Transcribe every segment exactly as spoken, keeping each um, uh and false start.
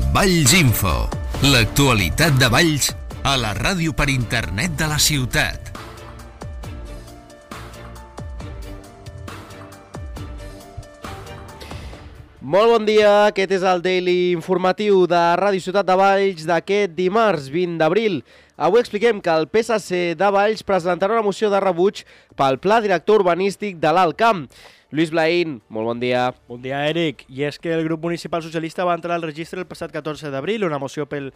Valls Info, l'actualitat de Valls a la ràdio per internet de la ciutat. Molt bon dia, aquest és el Daily Informatiu de Ràdio Ciutat de Valls d'aquest dimarts vint d'abril. Avui expliquem que el P S C de Valls presentarà una moció de rebuig pel Pla Director Urbanístic de l'Alt Camp. Lluís Blaín, molt bon dia. Bon dia, Eric. I és que el grup municipal socialista va entrar al registre el passat catorze d'abril una moció pel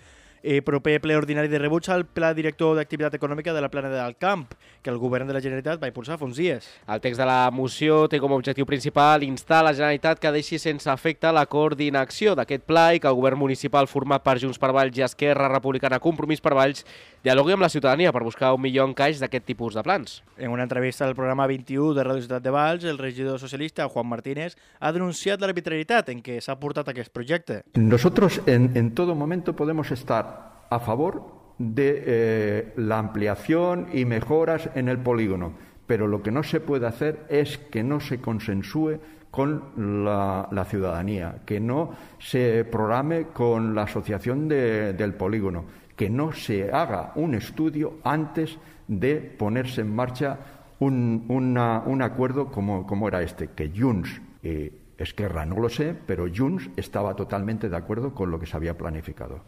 eh, proper ple ordinari de rebuig al Pla Director d'Activitat Econòmica de la Plana d'Alt Camp, que el govern de la Generalitat va impulsar fa uns dies. El text de la moció té com a objectiu principal instar la Generalitat que deixi sense efecte l'acord d'inacció d'aquest pla i que el govern municipal format per Junts per Valls i Esquerra Republicana Compromís per Valls dialogui amb la ciutadania per buscar un millor encaix d'aquest tipus de plans. En una entrevista al programa vint-i-u de Ràdio Ciutat de Valls, el regidor socialista Juan Martínez ha denunciat l'arbitrarietat en què s'ha portat aquest projecte. Nosotros en, en todo momento podemos estar a favor de eh, la ampliación y mejoras en el polígono, pero lo que no se puede hacer es que no se consensúe con la, la ciudadanía, que no se programe con la asociación de, del polígono, que no se haga un estudio antes de ponerse en marcha un, una, un acuerdo como, como era este, que Junts y Esquerra no lo sé, pero Junts estaba totalmente de acuerdo con lo que se había planificado.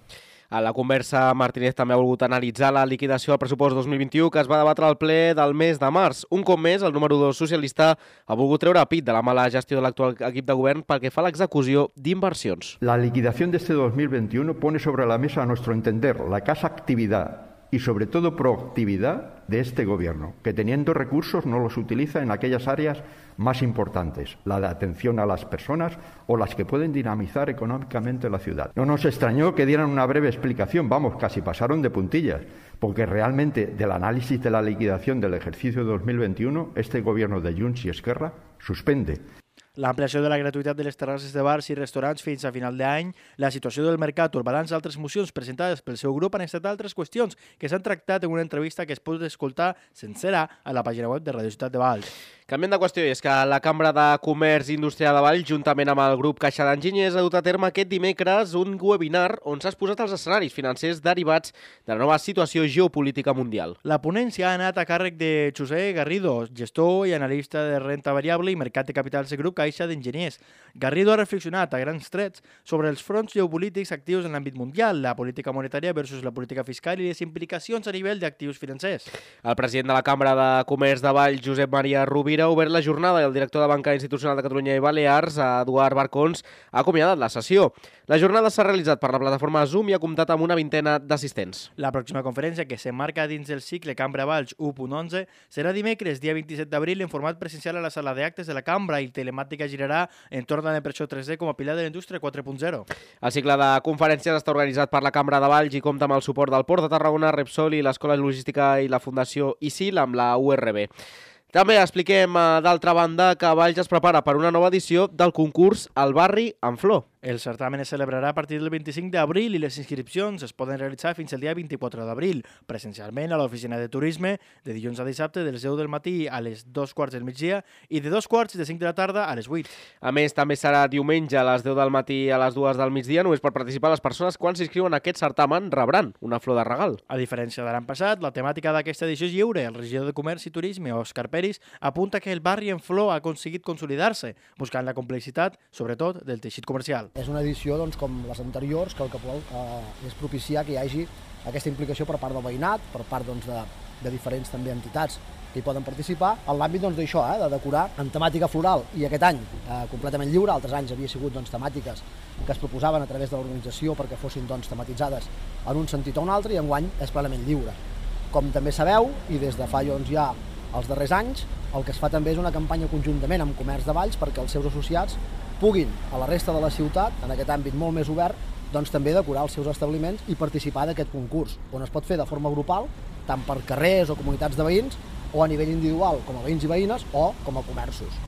A la conversa, Martínez també ha volgut analitzar la liquidació del pressupost dos mil vint-i-u que es va debatre al ple del mes de març. Un cop més, el número dos socialista ha volgut treure a pit de la mala gestió de l'actual equip de govern pel que fa a l'execució d'inversions. La liquidación de este dos mil veintiuno pone sobre la mesa, a nuestro entender, la escasa actividad y sobre todo proactividad de este gobierno, que teniendo recursos no los utiliza en aquellas áreas más importantes, la de atención a las personas o las que pueden dinamizar económicamente la ciudad. No nos extrañó que dieran una breve explicación, vamos, casi pasaron de puntillas, porque realmente del análisis de la liquidación del ejercicio dos mil veintiuno, este gobierno de Junts y Esquerra suspende. L'ampliació de la gratuïtat de les terrasses de bars i restaurants fins a final d'any, la situació del mercat, el balanç d'altres mocions presentades pel seu grup han estat altres qüestions que s'han tractat en una entrevista que es pot escoltar sencera a la pàgina web de Ràdio Ciutat de Valls. Canviem de qüestió, és que la Cambra de Comerç i Indústria de Valls, juntament amb el grup Caixa d'Enginyers, ha dut a terme aquest dimecres un webinar on s'ha exposat els escenaris financers derivats de la nova situació geopolítica mundial. La ponència ha anat a càrrec de José Garrido, gestor i analista de renta variable i mercat de capitals de grup Caixa d'Enginyers. Garrido ha reflexionat a grans trets sobre els fronts geopolítics actius en l'àmbit mundial, la política monetària versus la política fiscal i les implicacions a nivell d'actius financers. El president de la Cambra de Comerç de Valls, Josep Maria Rovira, ha obert la jornada i el director de Banca Institucional de Catalunya i Balears, Eduard Barcons, ha acomiadat la sessió. La jornada s'ha realitzat per la plataforma Zoom i ha comptat amb una vintena d'assistents. La pròxima conferència, que s'emmarca dins del cicle Cambra Valls u punt onze, serà dimecres, dia vint-i-set d'abril, en format presencial a la sala d'actes de la Cambra i telemàtica girarà entorn de la impressió tres D com a pilar de la indústria quatre punt zero. El cicle de conferències està organitzat per la Cambra de Valls i compta amb el suport del Port de Tarragona, Repsol i l'Escola Logística i la Fundació I C I L amb la U R B. També expliquem, d'altra banda, que Valls es prepara per una nova edició del concurs El barri en flor. El certamen es celebrarà a partir del vint-i-cinc d'abril i les inscripcions es poden realitzar fins al dia vint-i-quatre d'abril, presencialment a l'oficina de turisme, de dilluns a dissabte, de les deu del matí a les dos quarts del migdia i de dos quarts de cinc de la tarda a les vuit. A més, també serà diumenge a les deu del matí a les dues del migdia. Només per participar les persones quan s'inscriuen a aquest certamen rebran una flor de regal. A diferència de l'any passat, la temàtica d'aquesta edició és lliure. El regidor de Comerç i Turisme, Òscar Peris, apunta que el barri en flor ha aconseguit consolidar-se, buscant la complexitat, sobretot, del teixit comercial. És una edició doncs, com les anteriors, que el que vol eh, és propiciar que hi hagi aquesta implicació per part del veïnat, per part doncs, de, de diferents també entitats que hi poden participar, en l'àmbit doncs, d'això, eh, de decorar en temàtica floral. I aquest any, eh, completament lliure, altres anys havia sigut doncs, temàtiques que es proposaven a través de l'organització perquè fossin doncs, tematitzades en un sentit o un altre, i enguany és plenament lliure. Com també sabeu, i des de fa doncs, ja els darrers anys, el que es fa també és una campanya conjuntament amb Comerç de Valls perquè els seus associats puguin, a la resta de la ciutat, en aquest àmbit molt més obert, doncs també decorar els seus establiments i participar d'aquest concurs, on es pot fer de forma grupal, tant per carrers o comunitats de veïns, o a nivell individual, com a veïns i veïnes, o com a comerços.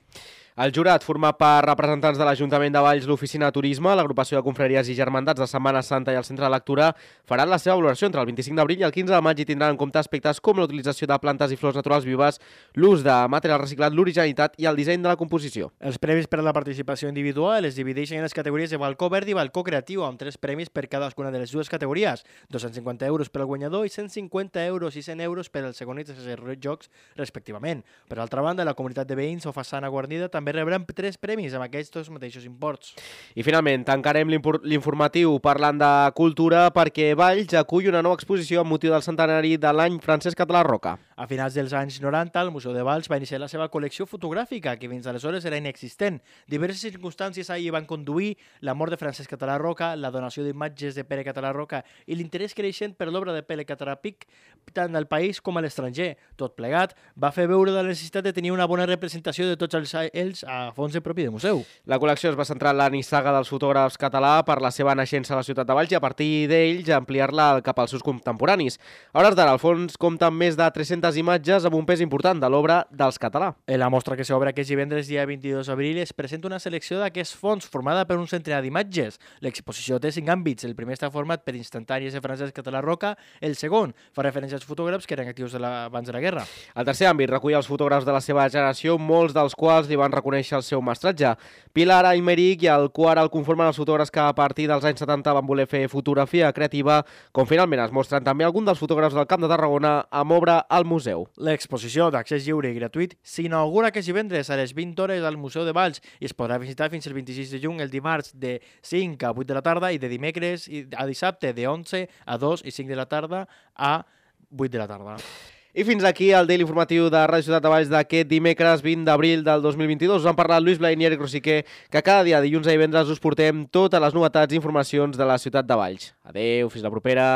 El jurat, format per representants de l'Ajuntament de Valls, l'Oficina de Turisme, l'Agrupació de Confraries i Germandats de Setmana Santa i el Centre de Lectura, faran la seva valoració entre el vint-i-cinc d'abril i el quinze de maig i tindran en compte aspectes com l'utilització de plantes i flors naturals vives, l'ús de material reciclat, l'originalitat i el disseny de la composició. Els premis per a la participació individual es divideixen en les categories de balcó verd i balcó creatiu, amb tres premis per cadascuna de les dues categories, dos-cents cinquanta euros per al guanyador i cent cinquanta euros i cent euros per al segon i tercer jocs, respectivament. Per altra banda, la comunitat de veïns o façana guarnida també rebran tres premis amb aquests mateixos imports. I finalment, tancarem l'informatiu parlant de cultura perquè Valls acull una nova exposició amb motiu del centenari de l'any Francesc Català Roca. A finals dels anys noranta, el Museu de Valls va iniciar la seva col·lecció fotogràfica, que fins aleshores era inexistent. Diverses circumstàncies ahir van conduir la mort de Francesc Català Roca, la donació d'imatges de Pere Català Roca i l'interès creixent per l'obra de Pere Català Pic, tant al país com a l'estranger. Tot plegat va fer veure la necessitat de tenir una bona representació de tots els ells a fons de propi de museu. La col·lecció es va centrar en la nissaga dels fotògrafs català per la seva naixença a la ciutat de Valls i a partir d'ells ampliar-la cap als seus contemporanis. A hores d'ara, el fons compta amb més de tres-centes imatges amb un pes important de l'obra dels català. En la mostra que s'obre aquest divendres, dia vint-i-dos d'abril, es presenta una selecció d'aquests fons formada per un centenar d'imatges. L'exposició té cinc àmbits. El primer està format per instantànies de Francesc Català Roca, el segon fa referència als fotògrafs que eren actius de la, abans de la guerra. El tercer àmbit recull els fotògrafs de la seva generació, molts dels quals li van reconèixer el seu mestratge. Pilar Aymeric i el quart el conformen els fotògrafs que a partir dels anys setanta van voler fer fotografia creativa, com finalment es mostren també alguns dels fotògrafs del Camp de Tarragona amb obra al museu. L'exposició d'accés lliure i gratuït s'inaugura aquest divendres a les vint hores al Museu de Valls i es podrà visitar fins el vint-i-sis de juny, el dimarts de cinc a vuit de la tarda i de dimecres a dissabte de onze a dos i cinc de la tarda a vuit de la tarda. I fins aquí el Daily Informatiu de Ràdio Ciutat de Valls d'aquest dimecres vint d'abril del dos mil vint-i-dos. Us han parlat Lluís Blai i Eric Rosiquer, que cada dia, dilluns a divendres, us portem totes les novetats i informacions de la ciutat de Valls. Adéu, fins la propera.